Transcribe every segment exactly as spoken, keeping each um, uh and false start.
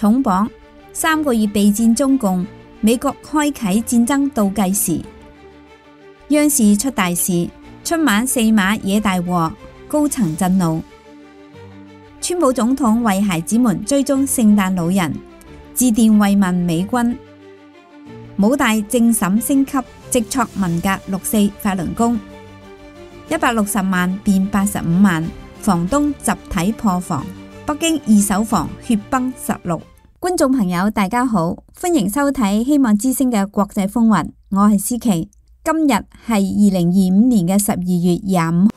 重磅三個月備戰中共，美國開啟戰爭倒計時。央視出大事，春晚四馬惹大禍，高層震怒。川普總統為孩子們追蹤聖誕老人，致電慰問美軍。武大政審升級，直挫文革六四法輪功。一百六十萬變八十五萬，房東集體破房。北京二手房血崩十六。觀眾朋友大家好，歡迎收睇希望之聲嘅國際風雲，我係思琪。今日係二零二五年嘅十二月廿五。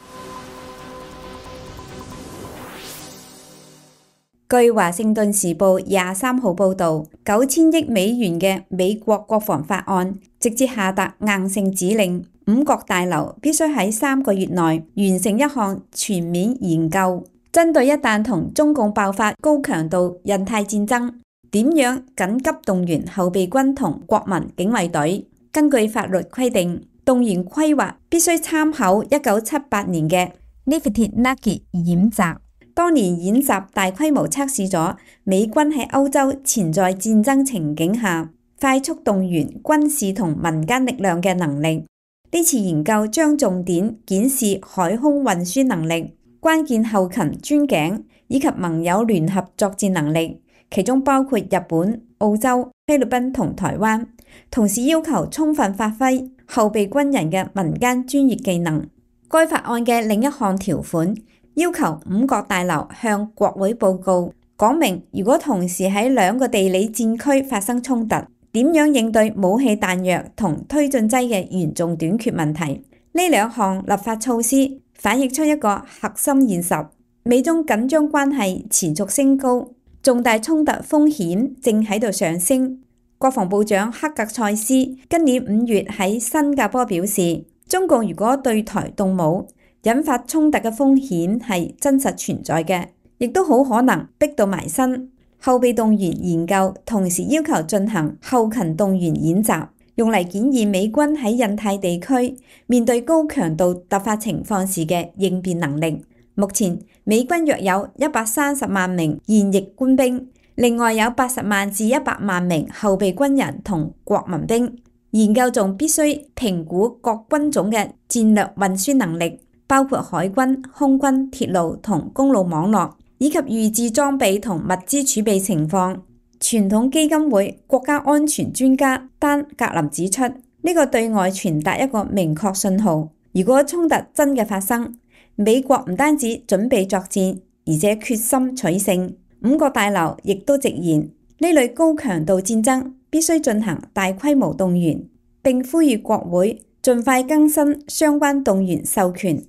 據華盛頓時報廿三號報道，九千億美元嘅美國國防法案直接下達硬性指令，五角大樓必須喺三個月內完成一項全面研究，針對一旦同中共爆發高強度印太戰爭，點樣緊急動員後備軍同國民警衛隊。根據法律規定，動員規劃必須參考一九七八年嘅 Lifted Nugget 演習。當年演習大規模測試咗美軍喺歐洲潛在戰爭情景下快速動員軍事同民間力量嘅能力。呢次研究將重點檢視海空運輸能力、關鍵後勤專頸以及盟友聯合作戰能力，其中包括日本、澳洲、菲律賓同台灣。同時要求充分發揮後備軍人嘅民間專業技能。該法案嘅另一項條款要求五角大樓向國會報告，講明如果同時喺兩個地理戰區發生衝突，點樣應對武器彈藥同推進劑嘅嚴重短缺問題。呢兩項立法措施反映出一個核心現實：美中緊張關係持續升高，重大衝突風險正喺度上升。國防部長克格塞斯今年五月喺新加坡表示，中共如果對台動武，引發衝突嘅風險係真實存在嘅，亦都好可能逼到埋身。後備動員研究同時要求進行後勤動員演習，用嚟檢驗美軍喺印太地區面對高強度突發情況時嘅應變能力。目前美軍約有一百三十萬名現役官兵，另外有八十萬至一百萬名後備軍人同國民兵。研究仲必須評估各軍種嘅戰略運輸能力，包括海軍、空軍、鐵路同公路網絡，以及預置裝備同物資儲備情況。傳統基金會國家安全專家丹格林指出，呢個對外傳達一個明確信號：如果衝突真嘅發生，美國唔單止準備作戰，而且決心取勝。五角大樓亦都直言，呢類高強度戰爭必須進行大規模動員，並呼籲國會盡快更新相關動員授權。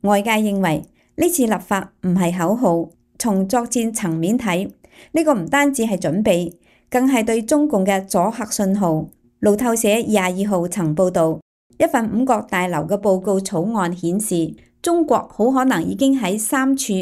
外界認為呢次立法唔係口號，從作戰層面睇，呢個唔單止係準備，更係對中共嘅阻嚇信號。路透社廿二號曾報道，一份五角大樓嘅報告草案顯示，中國好可能已經喺三處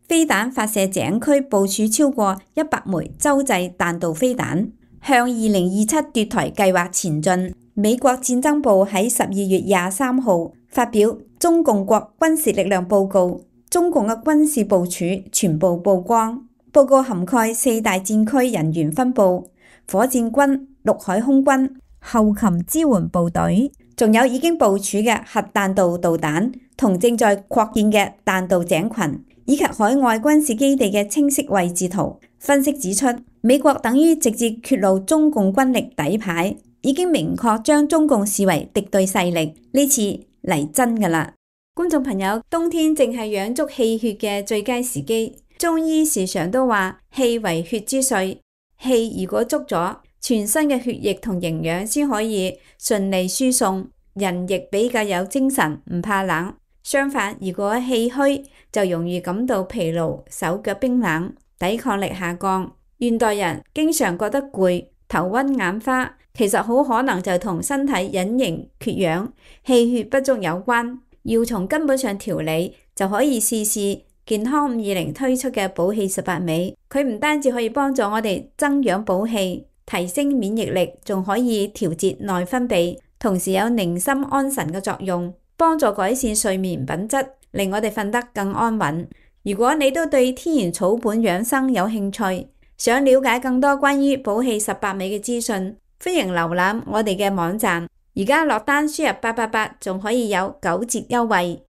飛彈發射井區部署超過一百枚洲際彈道飛彈，向二零二七奪台計劃前進。美國戰爭部喺十二月廿三號發表中共國軍事力量報告，中共嘅軍事部署全部曝光。報告涵蓋四大戰區人員分佈、火箭軍、陸海空軍、後勤支援部隊，仲有已經部署嘅核彈道導彈同正在擴建嘅彈道井群，以及海外軍事基地嘅清晰位置圖。分析指出，美國等於直接揭露中共軍力底牌，已經明確將中共視為敵對勢力。呢次嚟真㗎啦！觀眾朋友，冬天正係養足氣血嘅最佳時機。中醫時常都話氣為血之髓，氣如果足咗，全身嘅血液同營養先可以順利輸送，人亦比較有精神，唔怕冷。相反，如果氣虛，就容易感到疲勞、手腳冰冷、抵抗力下降。現代人經常覺得攰、頭暈眼花，其實好可能就同身體隱形缺氧、氣血不足有關。要從根本上調理，就可以試試健康五二零推出嘅補氣十八味。佢唔單止可以幫助我哋增氧補氣、提升免疫力，仲可以調節內分泌，同時有寧心安神嘅作用，幫助改善睡眠品質，令我哋瞓得更安穩。如果你都對天然草本養生有興趣，想了解更多關於寶氣十八味嘅資訊，歡迎瀏覽我哋嘅網站。而家落單輸入八八八，仲可以有九折優惠。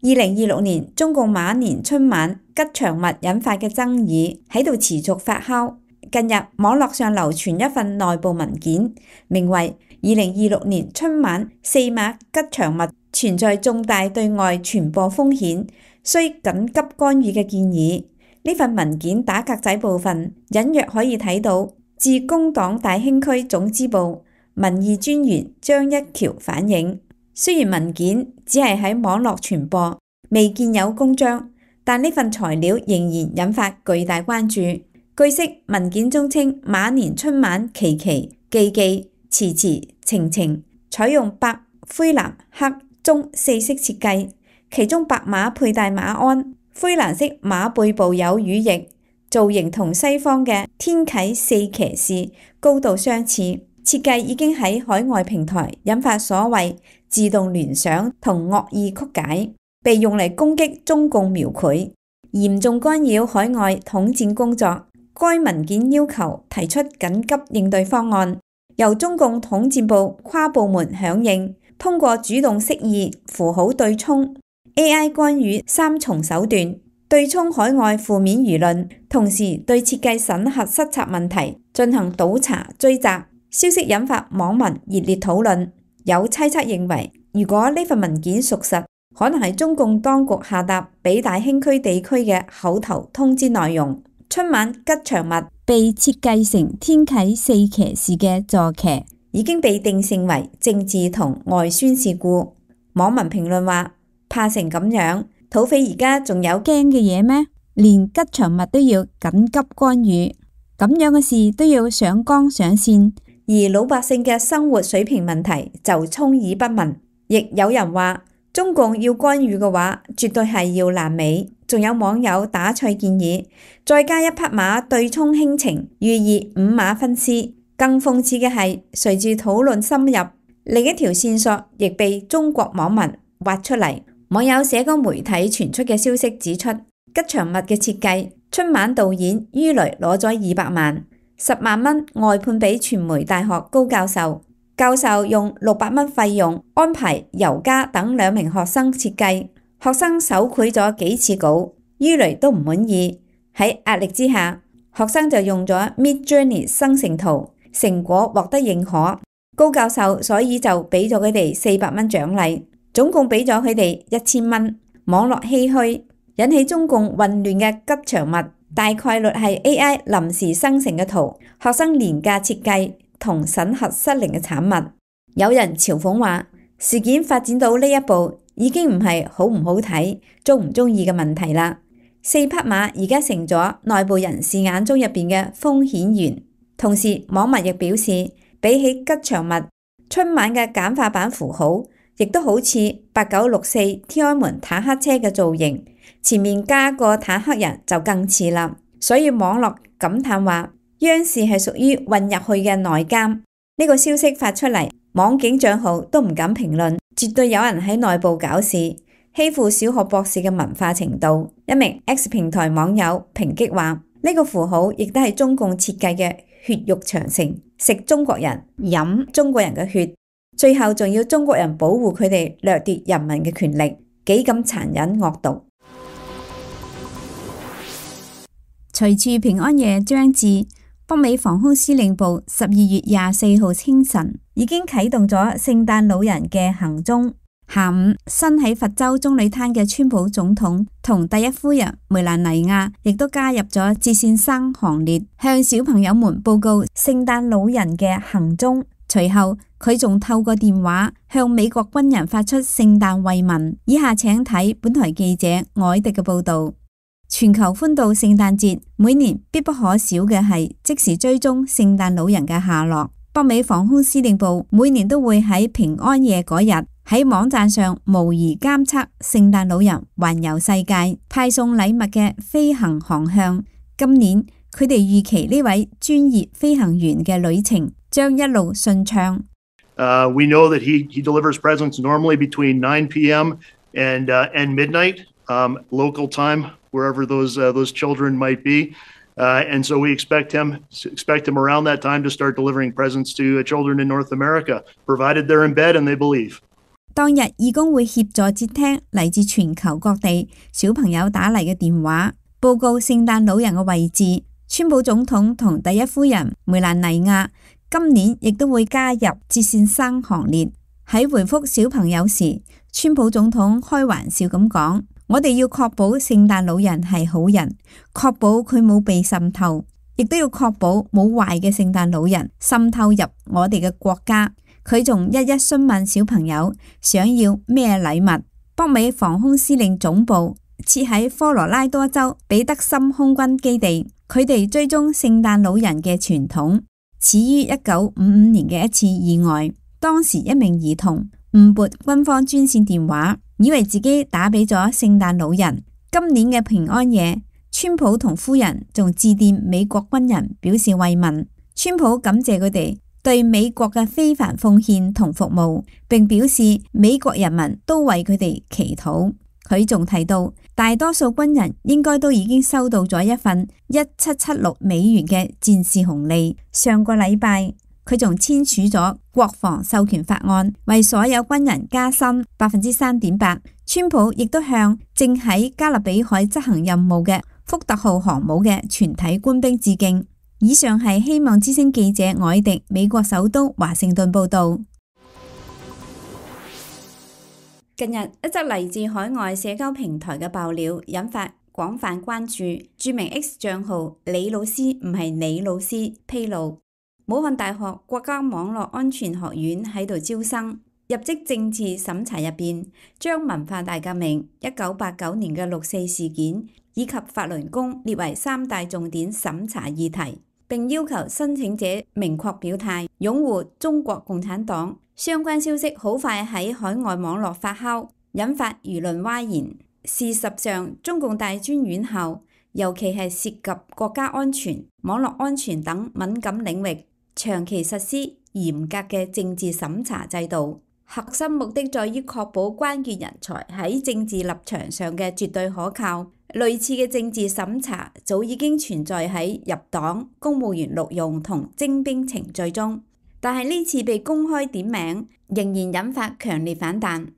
二零二六年中共馬年春晚吉祥物引發嘅爭議喺度持續發酵。近日網絡上流傳一份內部文件，名為《二零二六年春晚四馬吉祥物存在重大對外傳播風險，需緊急干預》嘅建議。呢份文件打格仔部分隱約可以睇到，自工黨大興區總支部民意專員張一橋反映，雖然文件只係喺網絡傳播，未見有公章，但呢份材料仍然引發巨大關注。據悉，文件中稱馬年春晚旗旗、記記、詞詞、情情採用白、灰藍、黑、棕四色設計，其中白馬佩戴馬鞍，灰藍色馬背部有羽翼，造型同西方嘅天啟四騎士高度相似。設計已經喺海外平台引發所謂自動聯想同惡意曲解，被用嚟攻擊中共描繪，嚴重干擾海外統戰工作。該文件要求提出緊急應對方案，由中共統戰部跨部門響應，通過主動釋義、符號對沖、A I 干預三重手段，對沖海外負面輿論，同時對設計審核失策問題進行倒查追責。消息引發網民熱烈討論，有猜測認為，如果呢份文件屬實，可能係中共當局下達俾大興區地區嘅口頭通知內容。春晚吉祥物被設計成天啟四騎士嘅坐騎，已經被定性為政治同外宣事故。網民評論話：怕成咁樣，土匪而家仲有驚嘅嘢咩？連吉祥物都要緊急干預，咁樣嘅事都要上綱上線，而老百姓嘅生活水平問題就充耳不聞。亦有人話，中共要干預嘅話，絕對係要爛尾。仲有網友打趣建議，再加一匹馬對沖輕情，寓意五馬分屍。更諷刺嘅係，隨住討論深入，另一條線索亦被中國網民挖出嚟。網友社交媒體傳出嘅消息指出，吉祥物嘅設計，春晚導演于雷攞咗二百萬，十萬蚊外判俾傳媒大學高教授。教授用六百蚊費用安排尤嘉等兩名學生設計，學生手繪咗幾次稿，于雷都唔滿意。喺壓力之下，學生就用咗 Midjourney 生成圖，成果獲得認可。高教授所以就俾咗佢哋四百蚊獎勵，總共俾咗佢哋一千蚊。網絡唏噓，引起中共混亂嘅吉祥物，大概率係 A I 臨時生成嘅圖，學生廉價設計同審核失靈嘅產物。有人嘲諷話，事件發展到呢一步，已經唔係好唔好睇、中唔中意嘅問題啦。四匹馬而家成咗內部人士眼中入邊嘅風險源。同時，網民亦表示，比起吉祥物，春晚嘅簡化版符號，亦都好似八九六四天安門坦克車嘅造型，前面加個坦克人就更似啦。所以網絡感嘆話，央視係屬於混入去嘅內監。呢個消息發出嚟，網警賬號都唔敢評論，絕對有人喺內部搞事，欺負小學博士嘅文化程度。一名 X 平台網友抨擊話，呢個符號亦都係中共設計嘅血肉長城，食中國人，飲中國人嘅血，最後仲要中國人保護佢哋掠奪人民嘅權力，幾咁殘忍惡毒。隨住平安夜將至，北美防空司令部十二月廿四號清晨已經啟動咗聖誕老人嘅行蹤。下午，身喺佛州棕櫚灘嘅川普總統同第一夫人梅蘭妮亞亦都加入咗接線生行列，向小朋友們報告聖誕老人嘅行蹤。隨後，佢仲透過電話向美國軍人發出聖誕慰問。以下請睇本台記者凱迪嘅報道。全球歡度聖誕節，每年必不可少嘅係即時追蹤聖誕老人嘅下落。北美防空司令部每年都會喺平安夜嗰日喺網站上模擬監測聖誕老人環遊世界、派送禮物嘅飛行航向。今年佢哋預期呢位專業飛行員嘅旅程將一路順暢。Uh, we know that he, he delivers presents normally between nine p m and, uh, and midnight. um, local time, wherever those uh, those children might be. Uh, and so we expect him expect him around that time to start delivering presents to children in North America, provided they're in bed and they believe. 當日義工會協助接聽嚟自全球各地小朋友打嚟嘅電話，報告聖誕老人嘅位置。川普總統同第一夫人梅蘭妮亞今年亦都會加入接線生行列。喺回覆小朋友時，川普總統開玩笑咁講：我哋要確保聖誕老人係好人，確保佢冇被滲透，亦都要確保冇壞嘅聖誕老人滲透入我哋嘅國家。佢仲一一詢問小朋友想要咩禮物。北美防空司令總部設喺科羅拉多州彼得森空軍基地，佢哋追蹤聖誕老人嘅傳統，始於一九五五年嘅一次意外。當時一名兒童誤撥軍方專線電話，以為自己打俾咗聖誕老人。今年嘅平安夜，川普同夫人仲致電美國軍人表示慰問。川普感謝佢哋對美國嘅非凡奉獻同服務，並表示美國人民都為佢哋祈禱。佢仲提到，大多數軍人應該都已經收到咗一份一七七六美元嘅戰士紅利。上個禮拜，佢仲簽署咗國防授權法案，為所有軍人加薪百分之三點八。川普亦都向正喺加勒比海執行任務嘅福特號航母嘅全體官兵致敬。以上係希望之聲記者凱迪美國首都華盛頓報導。近日一則嚟自海外社交平台嘅爆料引發廣泛關注。著名 X 帳號李老師唔係李老師披露，武漢大學國家網絡安全學院喺度招生，入職政治審查入邊將文化大革命、一九八九年嘅六四事件以及法輪功列為三大重點審查議題，並要求申請者明確表態擁護中國共產黨。相關消息好快喺海外網絡發酵，引發輿論譁然。事實上，中共大專院校尤其係涉及國家安全、網絡安全等敏感領域，長期實施嚴格嘅政治審查制度，核心目的在於確保關鍵人才喺政治立場上嘅絕對可靠。類似嘅政治審查早已經存在喺入黨、公務員錄用同徵兵程序中，但係呢次被公開點名，仍然引發強烈反彈。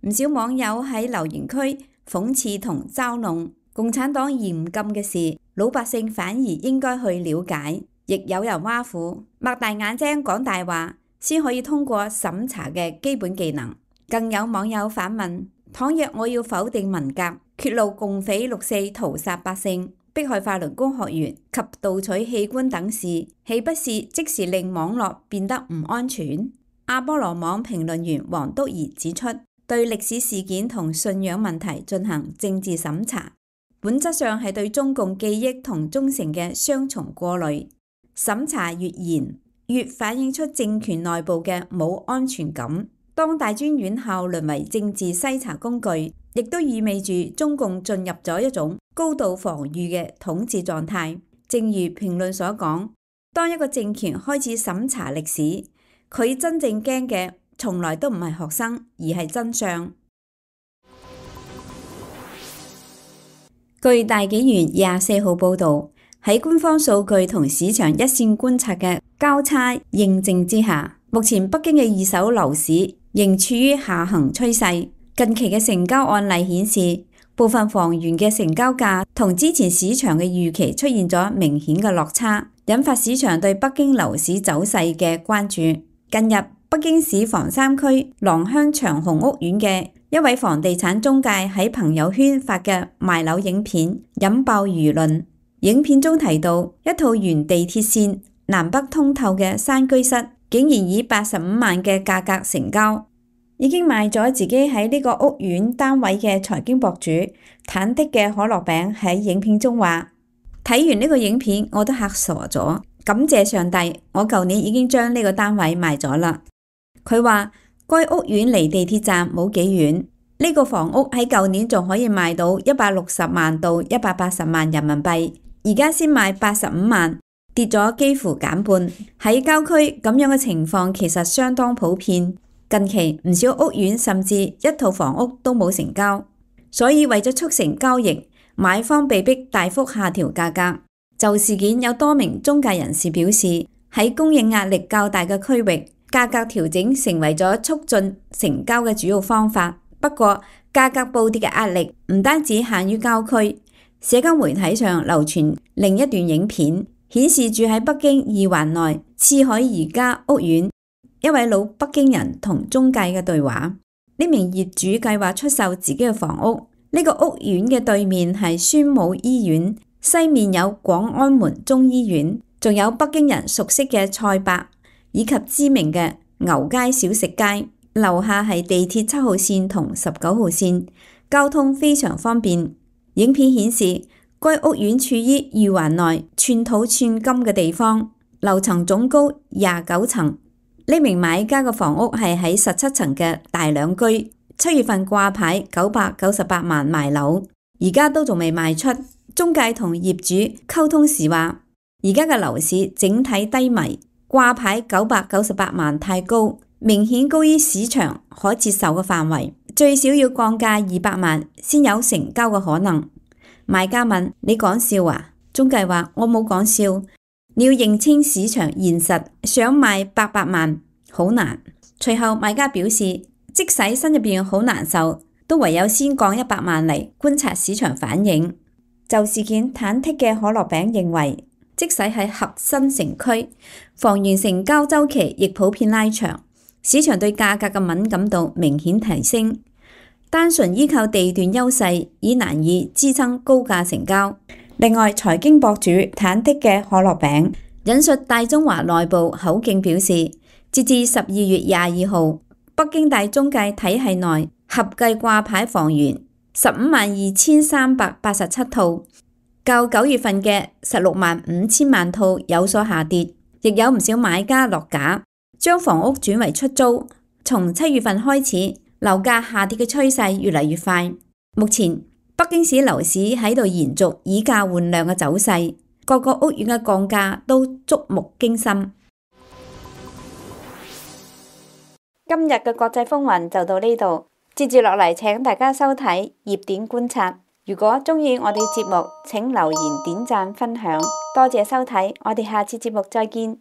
唔少網友喺留言區諷刺同嘲弄共產黨嚴禁嘅事，老百姓反而應該去了解。亦有人挖苦擘大眼睛講大話先可以通過審查嘅基本技能。更有網友反問：倘若我要否定文革，揭露共匪六四屠殺百姓、迫害法輪功學員及盜取器官等事，豈不是即時令網絡變得唔安全？阿波羅網評論員黃篤儀指出，對歷史事件同信仰問題進行政治審查，本質上係對中共記憶同忠誠嘅雙重過濾。審查越嚴，越反映出政權內部嘅冇安全感。當大專院校淪為政治篩查工具，亦都意味住中共進入咗一種高度防禦嘅統治狀態。正如評論所講，當一個政權開始審查歷史，佢真正驚嘅從來都唔係學生，而係真相。據大紀元廿四號報導，喺官方數據同市場一線觀察嘅交叉認證之下，目前北京嘅二手樓市仍處於下行趨勢。近期嘅成交案例顯示，部分房源嘅成交價同之前市場嘅預期出現咗明顯嘅落差，引發市場對北京樓市走勢嘅關注。近日，北京市房三區廊坊長虹屋苑嘅一位房地產中介喺朋友圈發嘅賣樓影片引爆輿論。影片中提到，一套沿地鐵線南北通透嘅山居室，竟然以八十五萬嘅價格成交。已經賣咗自己喺呢個屋苑單位嘅財經博主忐忑嘅可樂餅喺影片中話：睇完呢個影片我都嚇傻咗，感謝上帝，我舊年已經將呢個單位賣咗啦。佢話該屋苑離地鐵站冇幾遠，呢個房屋喺舊年仲可以賣到一百六十萬到一百八十萬人民幣，而家先賣八十五萬，跌咗幾乎減半。喺郊區咁樣嘅情況其實相當普遍。近期唔少屋苑甚至一套房屋都冇成交。所以為咗促成交易，買方被迫大幅下調價格。就事件有多名中介人士表示，喺供應壓力較大嘅區域，價格調整成為咗促進成交嘅主要方法。不過，價格暴跌嘅壓力唔單止限於郊區，社交媒體上流傳另一段影片，顯示住喺北京二環內賜海宜家屋苑一位老北京人同中介嘅對話。呢名業主計劃出售自己嘅房屋，呢、這個屋苑嘅對面係宣武醫院，西面有廣安門中醫院，仲有北京人熟悉嘅菜百以及知名嘅牛街小食街，樓下係地鐵七號線同十九號線，交通非常方便。影片顯示，該屋苑處於二環內寸土寸金嘅地方，樓層總高廿九層。呢名買家嘅房屋係喺十七層嘅大兩居，七月份掛牌九百九十八萬賣樓，而家都仲未賣出。中介同業主溝通時話，而家嘅樓市整體低迷，掛牌九百九十八萬太高，明顯高於市場可接受嘅範圍，最少要降價二百萬先有成交嘅可能。買家問：你講笑啊？中介話：我冇講笑。你要認清市場現實，想賣八百萬好難。隨後買家表示，即使心入邊好難受，都唯有先降一百萬嚟觀察市場反應。就事件忐忑嘅可樂餅認為，即使喺核心城區，房源成交週期亦普遍拉長，市場對價格嘅敏感度明顯提升。單純依靠地段優勢已難以支撐高價成交。另外，財經博主忐忑嘅可樂餅引述大中華內部口徑表示，截至十二月廿二號，北京大中介體系內合計掛牌房源十五萬二千三百八十七套，較九月份嘅十六萬五千萬套有所下跌，亦有唔少買家落架，將房屋轉為出租。從七月份開始，樓價下跌嘅趨勢越嚟越快。目前，北京市樓市喺度延續以價換量嘅走勢，各個屋苑嘅降價都觸目驚心。今日嘅國際風雲就到呢度，接住落嚟請大家收睇熱點觀察。如果鍾意我哋節目，請留言、點讚、分享，多謝收睇，我哋下次節目再見。